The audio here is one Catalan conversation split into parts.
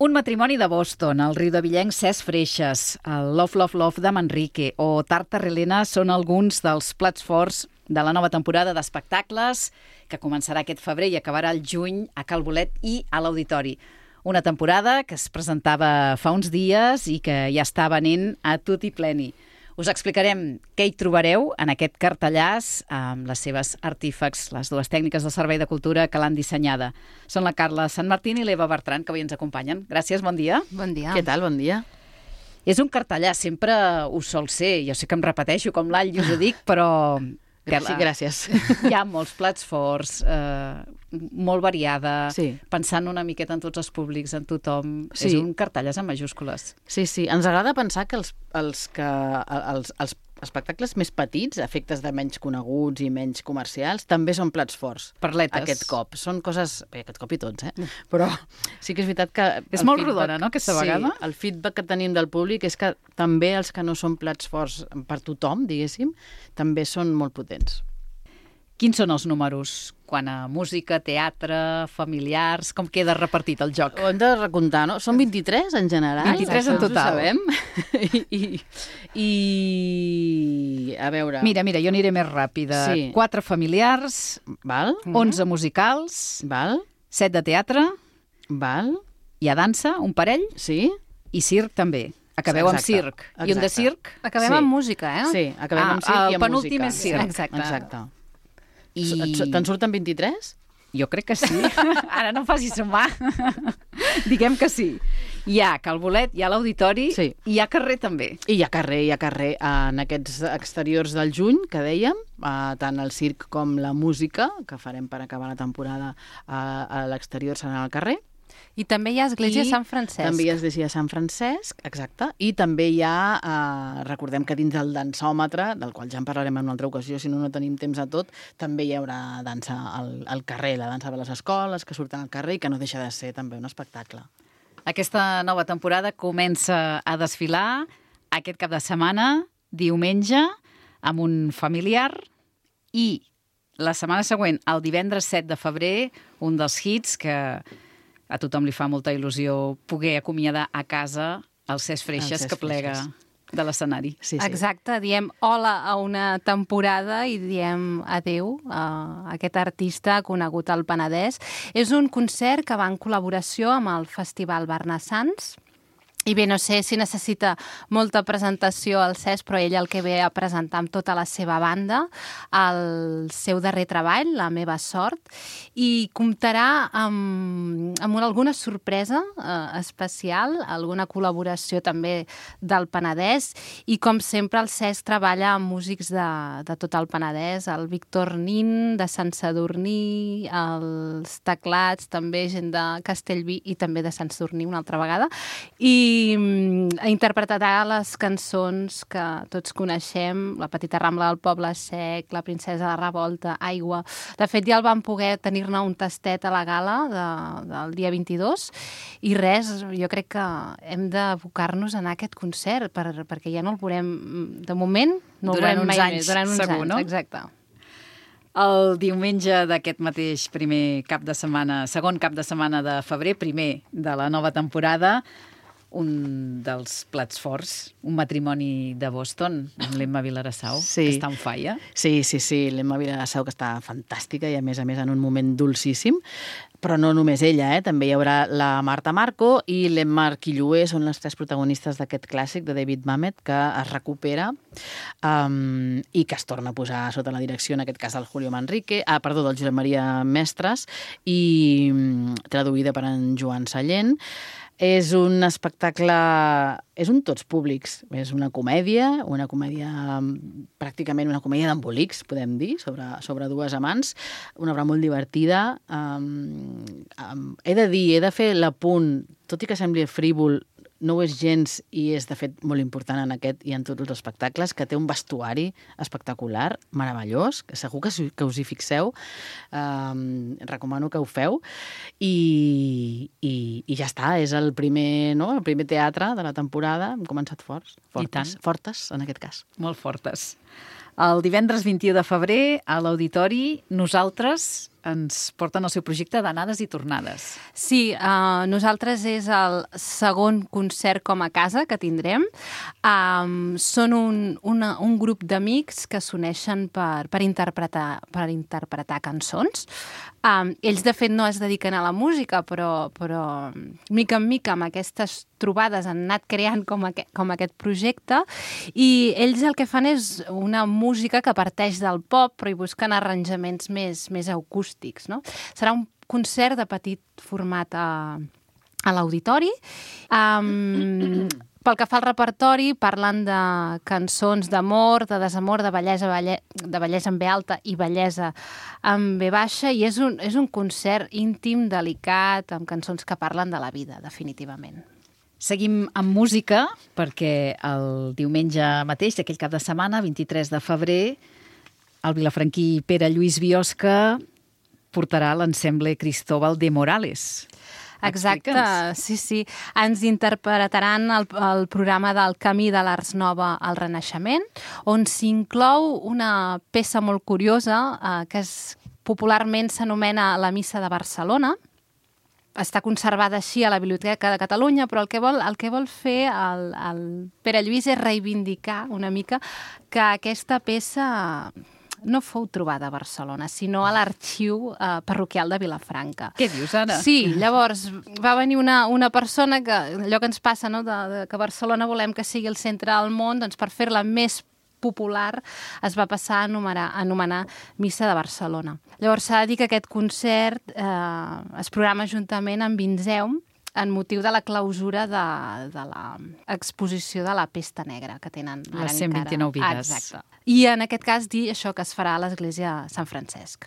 Un matrimoni de Boston, el riudevillenc Cesc Freixes, el Love, Love, Love de Manrique o Tarta Relena són alguns dels plats forts de la nova temporada d'espectacles que començarà aquest febrer i acabarà el juny a Cal Bolet i a l'Auditori. Una temporada que es presentava fa uns dies i que ja està venint a tutti pleni. Us explicarem què hi trobareu en aquest cartellàs amb les seves artífecs, les dues tècniques del Servei de Cultura que l'han dissenyada. Són la Carla Sant Martín i l'Eva Bertran, que avui ens acompanyen. Gràcies, bon dia. Bon dia. Què tal? Bon dia. És un cartellàs, sempre ho sol ser. Jo sé que em repeteixo com l'all i us ho dic, però... Sí, gràcies. Hi ha molts plats forts, molt variada, sí. Pensant una miqueta en tots els públics, en tothom. Sí. És un cartellàs en majúscules. Sí, ens agrada pensar que els espectacles més petits, efectes de menys coneguts i menys comercials, també són plats forts. Perletes. Aquest cop. Són coses... Bé, aquest cop i tots, Però sí que és veritat que... És molt rodona, no?, aquesta vegada? Sí, el feedback que tenim del públic és que també els que no són plats forts per tothom, diguéssim, també són molt potents. Quins són els números? Quant a música, teatre, familiars... Com queda repartit el joc? Ho hem de recomptar, no? Són 23 en general. 23 en total. Ho sabem. I a veure... Mira, jo aniré més ràpida. Sí. 4 familiars, Val. 11 musicals, Val. 7 de teatre, Val. hi ha dansa, un parell, Sí. i circ també. Acabeu amb circ. Exacte. I un de circ? Acabem Sí. amb música, Sí, acabem amb circ i amb música. El penúltim és circ. Exacte. Te'n surten 23? Jo crec que sí. Ara no em facis sumar. Diguem que sí. Hi ha Cal Bolet, hi ha l'Auditori, Sí. i hi ha carrer també. I hi ha carrer en aquests exteriors del juny, que dèiem, tant el circ com la música, que farem per acabar la temporada a l'exterior serà al carrer. I també hi ha Església de Sant Francesc. També hi ha Església de Sant Francesc, exacte. I també hi ha, recordem que dins del dansòmetre, del qual ja en parlarem en una altra ocasió, si no tenim temps a tot, també hi haurà dansa al carrer, la dansa de les escoles, que surten al carrer i que no deixa de ser també un espectacle. Aquesta nova temporada comença a desfilar aquest cap de setmana, diumenge, amb un familiar, i la setmana següent, el divendres 7 de febrer, un dels hits que a tothom li fa molta il·lusió poder acomiadar a casa el Cesc Freixes, que plega de l'escenari. Sí. Exacte, diem hola a una temporada i diem adeu a aquest artista conegut al Penedès. És un concert que va en col·laboració amb el Festival Barnassans. I bé, no sé si necessita molta presentació al Cesc, però ell el que ve a presentar amb tota la seva banda, el seu darrer treball, La meva sort, i comptarà amb alguna sorpresa especial, alguna col·laboració també del Penedès, i com sempre el Cesc treballa amb músics de tot el Penedès, el Víctor Nin, de Sant Sadurní, els teclats, també gent de Castellví i també de Sant Sadurní una altra vegada, i interpretarà les cançons que tots coneixem, La petita rambla del poble sec, La princesa de la revolta, Aigua. De fet, ja el vam poder tenir-ne un tastet a la gala del dia 22 i res, jo crec que hem d'abocar-nos a anar a aquest concert perquè ja no el veurem, de moment, no el veurem mai més. Durant uns segur, anys, no? exacte. El diumenge d'aquest mateix primer cap de setmana, segon cap de setmana de febrer, primer de la nova temporada, un dels plats forts, un matrimoni de Boston, amb l'Emma Vilarassau, que està on falla. Sí, l'Emma Vilarassau, que està fantàstica i a més en un moment dolcíssim, però no només ella, també hi haurà la Marta Marco i l'Emma Arquilloé, són les 3 protagonistes d'aquest clàssic de David Mamet, que es recupera i que es torna a posar sota la direcció, en aquest cas, del Julio Manrique, del Josep Maria Mestres, i traduïda per en Joan Sallent. És un espectacle, és un tots públics, és una comèdia pràcticament una comèdia d'embolics, podem dir, sobre dues amants, una obra molt divertida. He de fer l'apunt, tot i que sembli frívol, no ho és gens i és, de fet, molt important en aquest i en tots els espectacles, que té un vestuari espectacular, meravellós, que segur que us hi fixeu. Recomano que ho feu. I ja està, és el primer teatre de la temporada. Hem començat fortes, en aquest cas. Molt fortes. El divendres 21 de febrer, a l'Auditori, nosaltres ens porten el seu projecte d'anades i tornades. Sí, nosaltres és el segon concert com a casa que tindrem. Són un grup d'amics que s'uneixen per interpretar cançons. Ells, de fet, no es dediquen a la música, però mica en mica amb aquestes trobades han anat creant com aquest projecte, i ells el que fan és una música que parteix del pop, però hi busquen arranjaments més acústics, no? Serà un concert de petit format a l'auditori. Pel que fa al repertori, parlen de cançons d'amor, de desamor, de bellesa en B alta i bellesa en B baixa, i és un concert íntim, delicat, amb cançons que parlen de la vida, definitivament. Seguim amb música, perquè el diumenge mateix, d'aquell cap de setmana, 23 de febrer, el vilafranquí Pere Lluís Biosca portarà l'ensemble Cristóbal de Morales. Exacte, sí. Ens interpretaran el programa del Camí de l'Ars Nova al Renaixement, on s'inclou una peça molt curiosa que popularment s'anomena La Missa de Barcelona. Està conservada així a la Biblioteca de Catalunya, però el que vol fer el Pere Lluís és reivindicar una mica que aquesta peça no fou trobada a Barcelona, sinó a l'arxiu parroquial de Vilafranca. Què dius, ara? Sí, llavors va venir una persona que, allò que ens passa, no?, que Barcelona volem que sigui el centre del món, doncs per fer-la més popular es va passar a anomenar Missa de Barcelona. Llavors s'ha de dir que aquest concert es programa juntament amb Vinzeum, en motiu de la clausura de l'exposició de la Pesta Negra que tenen ara encara. Les 129 vides. Exacte. I en aquest cas dir això que es farà a l'església de Sant Francesc.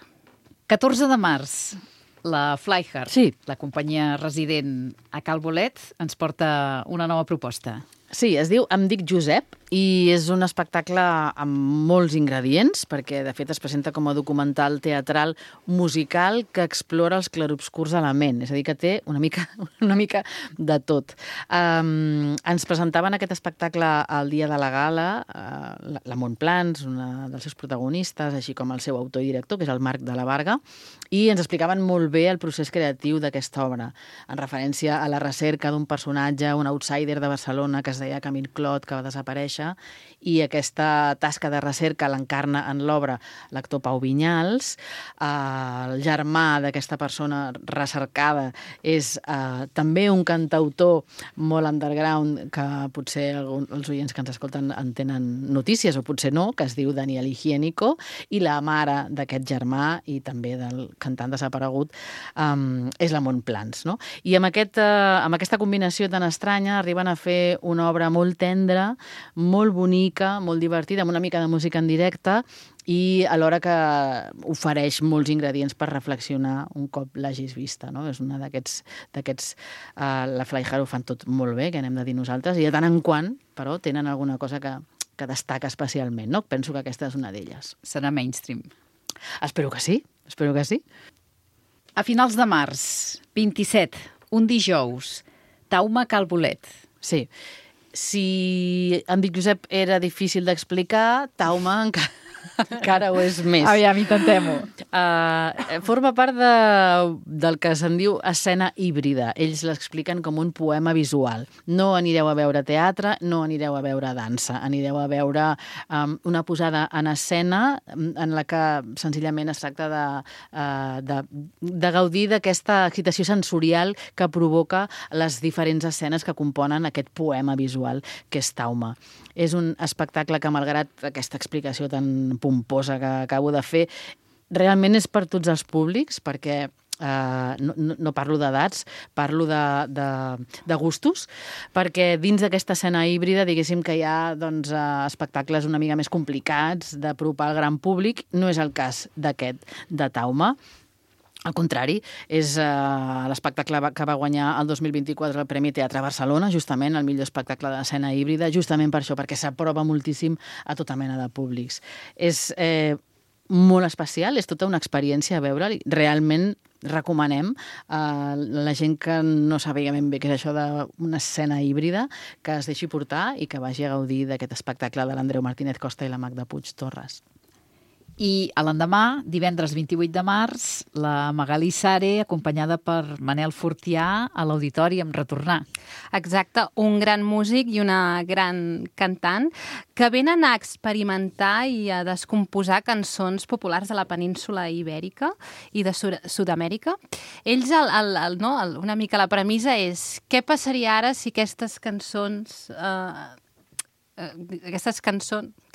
14 de març, la Flyhard, sí, la companyia resident a Cal Bolet, ens porta una nova proposta. Sí, es diu Em dic Josep i és un espectacle amb molts ingredients, perquè de fet es presenta com a documental teatral musical que explora els clarobscurs de la ment, és a dir, que té una mica de tot. Ens presentaven aquest espectacle el dia de la gala, la Montplans, una dels seus protagonistes, així com el seu autor i director, que és el Marc de la Varga, i ens explicaven molt bé el procés creatiu d'aquesta obra, en referència a la recerca d'un personatge, un outsider de Barcelona que es deia Camil Clot, que va desaparèixer, i aquesta tasca de recerca l'encarna en l'obra l'actor Pau Vinyals. El germà d'aquesta persona recercada és també un cantautor molt underground, que potser els oients que ens escolten en tenen notícies, o potser no, que es diu Daniel Higiénico, i la mare d'aquest germà i també del cantant desaparegut és la Montplans, no? I amb aquesta combinació tan estranya arriben a fer una obra molt tendra, molt bonica, molt divertida, amb una mica de música en directe, i alhora que ofereix molts ingredients per reflexionar un cop l'hagis vista, no? És una d'aquests la Flyhard ho fan tot molt bé, que anem de dir nosaltres, i de tant en quant, però, tenen alguna cosa que destaca especialment, no? Penso que aquesta és una d'elles. Serà mainstream. Espero que sí. A finals de març, 27, un dijous, Tauma Cal Bolet. Sí. Si Em dic Josep era difícil d'explicar, Tauma encara ho és més. Aviam, intentem-ho. Forma part del que se'n diu escena híbrida. Ells l'expliquen com un poema visual. No anireu a veure teatre, no anireu a veure dansa. Anireu a veure una posada en escena en la que senzillament es tracta de gaudir d'aquesta excitació sensorial que provoca les diferents escenes que componen aquest poema visual que és Tauma. És un espectacle que, malgrat aquesta explicació tan pomposa que acabo de fer, realment és per tots els públics, perquè no parlo d'edats, parlo de gustos, perquè dins d'aquesta escena híbrida, diguéssim que hi ha espectacles una mica més complicats d'apropar al gran públic. No és el cas d'aquest, de Tauma. Al contrari, és l'espectacle que va guanyar el 2024 el Premi Teatre Barcelona, justament el millor espectacle d'escena híbrida, justament per això, perquè s'aprova moltíssim a tota mena de públics. És molt especial, és tota una experiència a veure'l. Realment recomanem a la gent que no sabia ben bé què és això d'una escena híbrida, que es deixi portar i que vagi a gaudir d'aquest espectacle de l'Andreu Martínez Costa i la Magda Puig Torres. I a l'endemà, divendres 28 de març, la Magalí Sare, acompanyada per Manel Fortià, a l'Auditori amb Retornar. Exacte, un gran músic i una gran cantant que venen a experimentar i a descomposar cançons populars de la península Ibèrica i de Sud-amèrica. Ells, una mica la premissa és què passaria ara si aquestes cançons...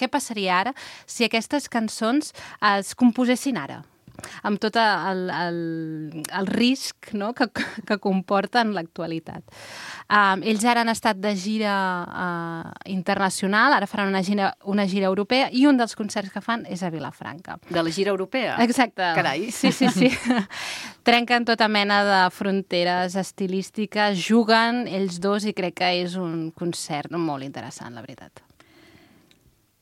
què passaria ara si aquestes cançons es composessin ara? Amb tot el risc, no?, que comporta en l'actualitat. Ells ara han estat de gira internacional, ara faran una gira europea i un dels concerts que fan és a Vilafranca. De la gira europea? Exacte. Carai. Sí. Trenquen tota mena de fronteres estilístiques, juguen ells dos i crec que és un concert molt interessant, la veritat.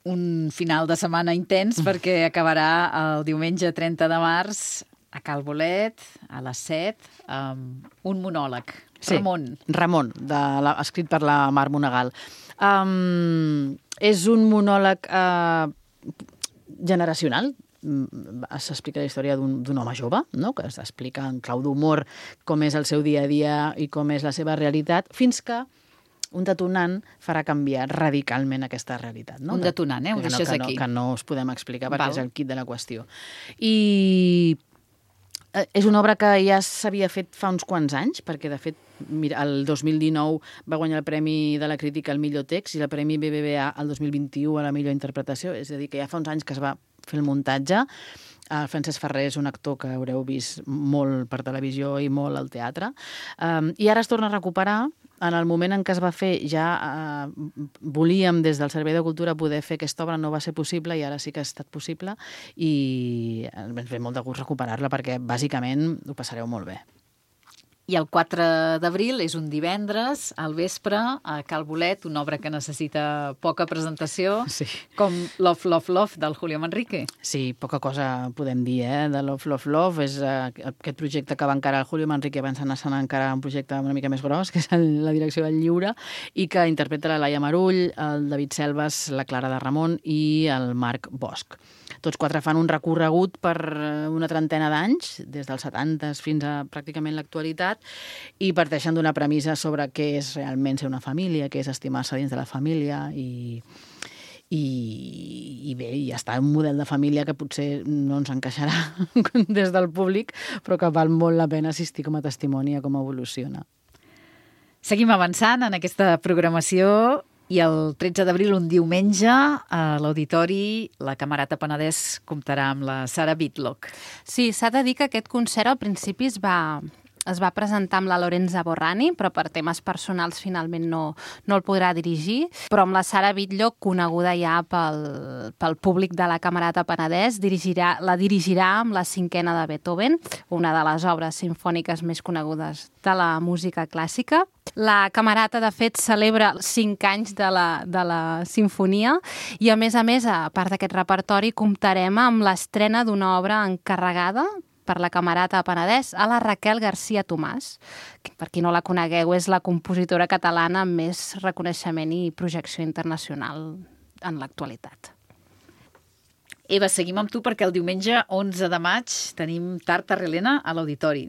Un final de setmana intens perquè acabarà el diumenge 30 de març a Cal Bolet, a les 7, amb un monòleg. Sí, Ramon, escrit per la Mar Monegal. És un monòleg generacional. S'explica la història d'un home jove, no?, que s'explica en clau d'humor com és el seu dia a dia i com és la seva realitat, fins que un detonant farà canviar radicalment aquesta realitat. No? Un detonant, ho deixes aquí. Que no us podem explicar perquè és el quid de la qüestió. I és una obra que ja s'havia fet fa uns quants anys, perquè de fet mira, el 2019 va guanyar el Premi de la Crítica al millor text i el Premi BBVA el 2021 a la millor interpretació, és a dir, que ja fa uns anys que es va fer el muntatge. El Francesc Ferrer és un actor que haureu vist molt per televisió i molt al teatre. I ara es torna a recuperar. En el moment en què es va fer ja volíem des del Servei de Cultura poder fer aquesta obra, no va ser possible i ara sí que ha estat possible i ens ve molt de gust recuperar-la perquè bàsicament ho passareu molt bé. I el 4 d'abril és un divendres, al vespre, a Cal Bolet, una obra que necessita poca presentació, sí, com Love, Love, Love, del Julio Manrique. Sí, poca cosa podem dir, de Love, Love, Love. És aquest projecte que va encarar el Julio Manrique abans d'anar a encarar un projecte una mica més gros, que és la direcció del lliure, i que interpreta la Laia Marull, el David Selves, la Clara de Ramon i el Marc Bosch. Tots quatre fan un recorregut per una trentena d'anys, des dels 70 fins a pràcticament l'actualitat, i parteixen d'una premissa sobre què és realment ser una família, què és estimar-se dins de la família, i bé, ja està un model de família que potser no ens encaixarà des del públic, però que val molt la pena assistir com a testimoni a com evoluciona. Seguim avançant en aquesta programació. I el 13 d'abril, un diumenge, a l'Auditori, la Camerata Penedès comptarà amb la Sara Whitlock. Sí, s'ha de dir que aquest concert al principi es va presentar amb la Lorenza Borrani, però per temes personals finalment no el podrà dirigir. Però amb la Sara Whitlock, coneguda ja pel públic de la Camerata Penedès, la dirigirà amb la cinquena de Beethoven, una de les obres simfòniques més conegudes de la música clàssica. La Camerata, de fet, celebra 5 anys de la sinfonia i, a més, a part d'aquest repertori, comptarem amb l'estrena d'una obra encarregada per la Camerata Penedès a la Raquel García Tomàs, que, per qui no la conegueu, és la compositora catalana amb més reconeixement i projecció internacional en l'actualitat. Eva, seguim amb tu perquè el diumenge 11 de maig tenim Tartar Helena a l'Auditori.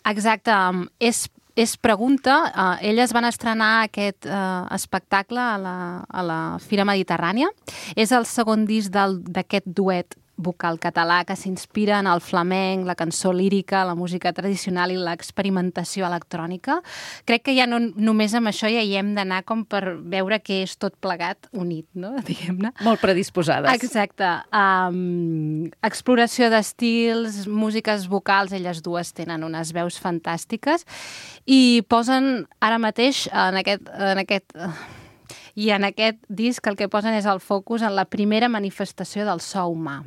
Exacte, és Pregunta. Elles van estrenar aquest espectacle a la Fira Mediterrània. És el segon disc d'aquest duet vocal català que s'inspira en el flamenc, la cançó lírica, la música tradicional i l'experimentació electrònica. Crec que ja no només amb això ja hi hem d'anar com per veure que és tot plegat unit, no? Diguem-ne. Molt predisposades. Exacte. Exploració d'estils, músiques vocals, elles dues tenen unes veus fantàstiques i posen ara mateix en aquest disc el que posen és el focus en la primera manifestació del so humà.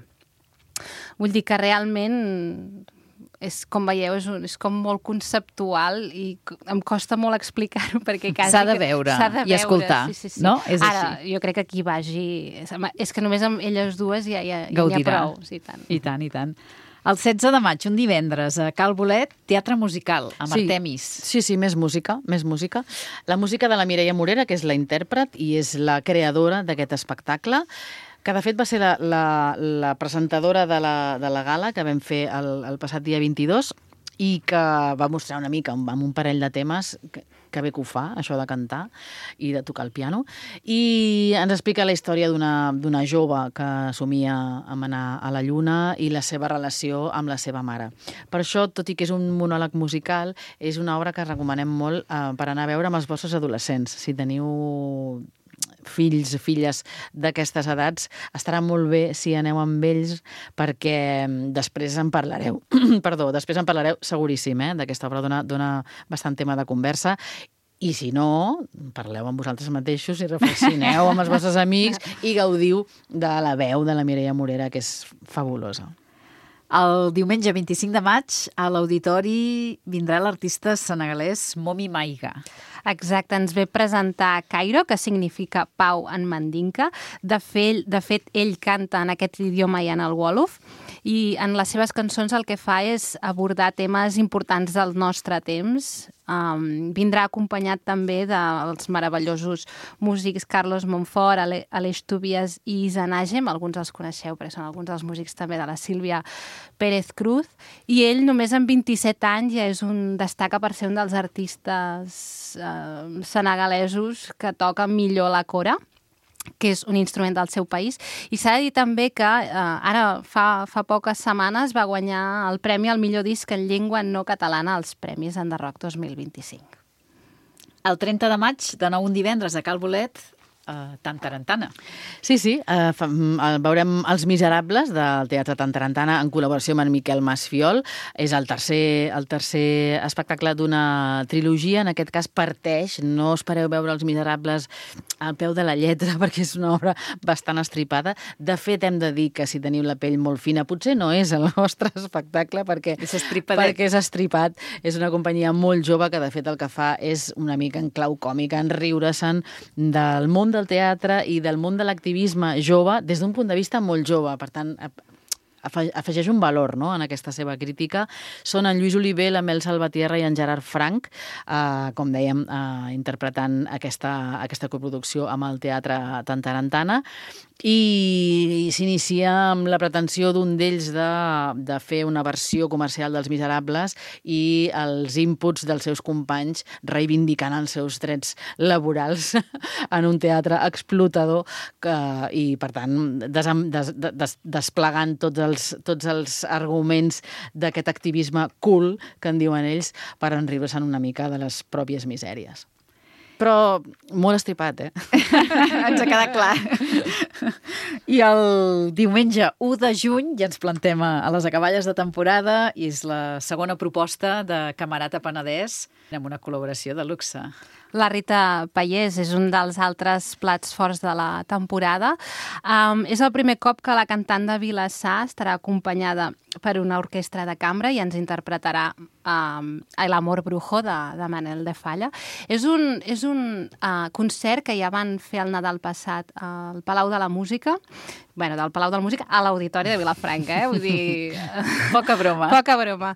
Vull dir que realment és, com veieu, és com molt conceptual i em costa molt explicar-ho perquè quasi... S'ha de veure i escoltar, sí. no? És ara, així. jo crec que qui vagi... És que només amb elles dues ja n'hi ha prou. Sí, tant. I tant. El 16 de maig, un divendres, a Cal Bolet, teatre musical, amb Artemis. Sí, més música. La música de la Mireia Morera, que és la intèrpret i és la creadora d'aquest espectacle. que de fet va ser la presentadora de la gala que vam fer el passat dia 22 i que va mostrar una mica amb un parell de temes que bé que ho fa, això de cantar i de tocar el piano, i ens explica la història d'una jove que somia amb anar a la Lluna i la seva relació amb la seva mare. Per això, tot i que és un monòleg musical, és una obra que recomanem molt per anar a veure amb els vostres adolescents. Si teniu fills, filles d'aquestes edats, estarà molt bé si aneu amb ells perquè després en parlareu. Després en parlareu seguríssim, d'aquesta obra dona bastant tema de conversa. I si no, parleu amb vosaltres mateixos i reflexioneu amb els vostres amics i gaudiu de la veu de la Mireia Morera, que és fabulosa. El diumenge 25 de maig a l'auditori vindrà l'artista senegalès Momi Maiga. Exacte, ens ve presentar Cairo, que significa pau en mandinka. De fet, ell canta en aquest idioma i en el wolof, i en les seves cançons el que fa és abordar temes importants del nostre temps. Vindrà acompanyat també dels meravellosos músics Carlos Montfort, Aleix Tobias i Isa Nagem. Alguns els coneixeu perquè són alguns dels músics també de la Sílvia Pérez Cruz, i ell només amb 27 anys ja destaca per ser un dels artistes senegalesos que toca millor la cora, que és un instrument del seu país. I s'ha de dir també que ara fa poques setmanes va guanyar el premi al millor disc en llengua no catalana als Premis Enderrock 2025. El 30 de maig, de nou un divendres a Cal Bolet, Tantarantana. Sí, veurem Els Miserables del Teatre Tantarantana en col·laboració amb en Miquel Masfiol. És el tercer espectacle d'una trilogia. En aquest cas parteix, no espereu veure Els Miserables al peu de la lletra perquè és una obra bastant estripada. De fet, hem de dir que si teniu la pell molt fina, potser no és el vostre espectacle perquè és estripat. És una companyia molt jove que de fet el que fa és una mica en clau còmica, en riure-se'n del món del teatre i del món de l'activisme jove des d'un punt de vista molt jove. Per tant, afegeix un valor, no?, en aquesta seva crítica. Són en Lluís Oliver, la Mel Salvatierra i en Gerard Frank, com dèiem, interpretant aquesta coproducció amb el Teatre Tantarantana, i s'inicia amb la pretensió d'un d'ells de fer una versió comercial dels Miserables i els inputs dels seus companys reivindicant els seus drets laborals en un teatre explotador i, per tant, desplegant tots els arguments d'aquest activisme cool, que en diuen ells, per enriure-se'n una mica de les pròpies misèries. Però molt estripat, Ens ha quedat clar. I el diumenge 1 de juny ja ens plantem a les acaballes de temporada i és la segona proposta de Camerata Penedès amb una col·laboració de luxe. La Rita Pallés és un dels altres plats forts de la temporada. És el primer cop que la cantant de Vilassar estarà acompanyada per una orquestra de cambra i ens interpretarà El amor brujo de Manel de Falla. És un concert que ja van fer el Nadal passat al Palau de la Música, del Palau de la Música a l'Auditori de Vilafranca, vull dir... Poca broma. Poca broma.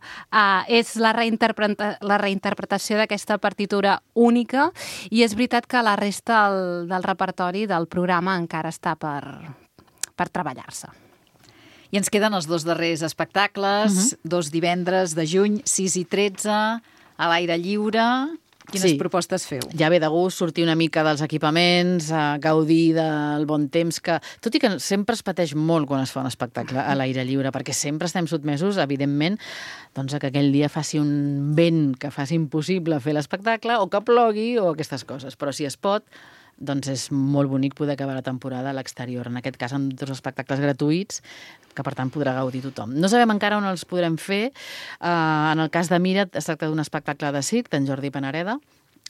És la reinterpretació d'aquesta partitura única i és veritat que la resta del repertori del programa encara està per treballar-se. I ens queden els 2 darrers espectacles, 2 divendres de juny, 6 i 13, a l'aire lliure. Quines propostes feu? Ja ve de gust sortir una mica dels equipaments, gaudir del bon temps, que tot i que sempre es pateix molt quan es fa un espectacle a l'aire lliure, perquè sempre estem sotmesos, evidentment, doncs que aquell dia faci un vent que faci impossible fer l'espectacle, o que plogui, o aquestes coses. Però si es pot, doncs és molt bonic poder acabar la temporada a l'exterior. En aquest cas, amb 2 espectacles gratuïts, que per tant podrà gaudir tothom. No sabem encara on els podrem fer. En el cas de Mira, es tracta d'un espectacle de circ d'en Jordi Panareda,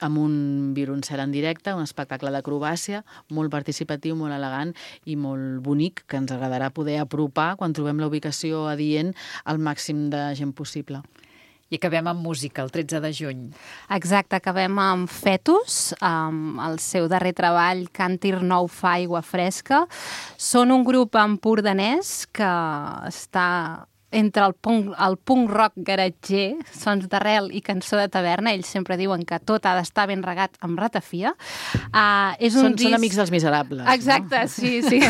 amb un violoncel en directe, un espectacle d'acrobàcia molt participatiu, molt elegant i molt bonic, que ens agradarà poder apropar quan trobem la ubicació adient al màxim de gent possible. I acabem amb música, el 13 de juny. Exacte, acabem amb Fetus, amb el seu darrer treball, Càntir nou fa aigua fresca. Són un grup empordanès que està entre el punk rock garatger, sons d'arrel i cançó de taverna. Ells sempre diuen que tot ha d'estar ben regat amb ratafia. Són amics dels miserables. Exacte, no? Sí.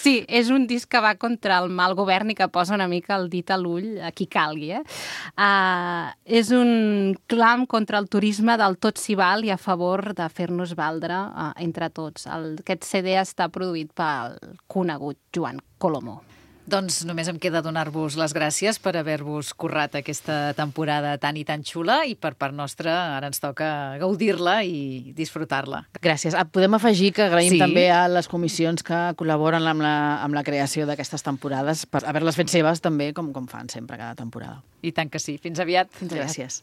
Sí, és un disc que va contra el mal govern i que posa una mica el dit a l'ull a qui calgui. És un clam contra el turisme del tot s'hi val i a favor de fer-nos valdre entre tots. Aquest CD està produït pel conegut Joan Colomó. Doncs només em queda donar-vos les gràcies per haver-vos currat aquesta temporada tan i tan xula i per part nostra ara ens toca gaudir-la i disfrutar-la. Gràcies. Podem afegir que agraïm també a les comissions que col·laboren amb la creació d'aquestes temporades per haver-les fet seves també com fan sempre cada temporada. I tant que sí. Fins aviat. Gràcies.